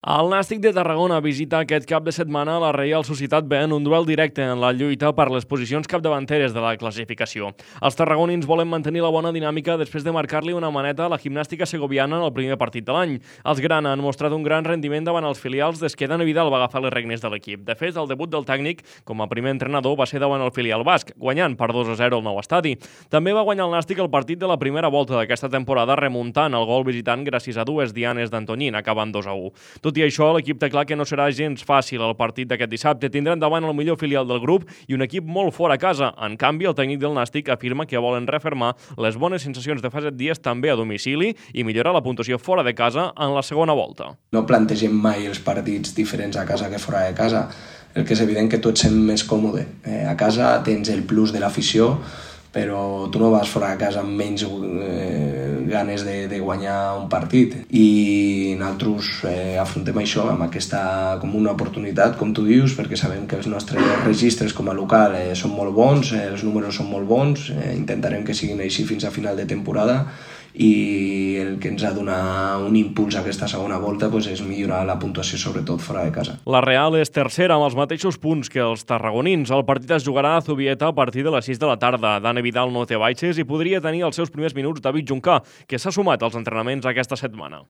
El Nàstic de Tarragona visita aquest cap de setmana la Reial Societat B en un duel directe en la lluita per les posicions capdavanteres de la classificació. Els tarragonins volen mantenir la bona dinàmica després de marcar-li una maneta a la gimnàstica segoviana en el primer partit de l'any. Els grana han mostrat un gran rendiment davant els filials des que Dani Vidal va agafar les regnes de l'equip. De fet, el debut del tècnic com a primer entrenador va ser davant el filial basc, guanyant per 2-0 al nou estadi. També va guanyar el Nàstic el partit de la primera volta d'aquesta temporada remuntant el gol visitant gràcies a dues dianes d'Antoñín, acabant 2-1. Tot i això, l'equip té clar que no serà gens fàcil el partit d'aquest dissabte. Tindran davant el millor filial del grup i un equip molt fora a casa. En canvi, el tècnic del Nàstic afirma que volen refermar les bones sensacions de fa 7 dies també a domicili i millorar la puntuació fora de casa en la segona volta. No plantegem mai els partits diferents a casa que fora de casa. El que és evident que tu et sents més còmode. A casa tens el plus de l'afició, però tu no vas fora de casa amb menys ganes de guanyar un partit, i nosaltres afrontem això amb aquesta com una oportunitat, com tu dius, perquè sabem que els nostres registres com a local són molt bons, els números són molt bons, intentarem que siguin així fins a final de temporada, i el que ens ha donat un impuls a aquesta segona volta és millorar la puntuació, sobretot fora de casa. La Real és tercera amb els mateixos punts que els tarragonins. El partit es jugarà a Zubieta a partir de les 6 de la tarda. Dani Vidal no té baixes i podria tenir els seus primers minuts David Juncà, que s'ha sumat als entrenaments aquesta setmana.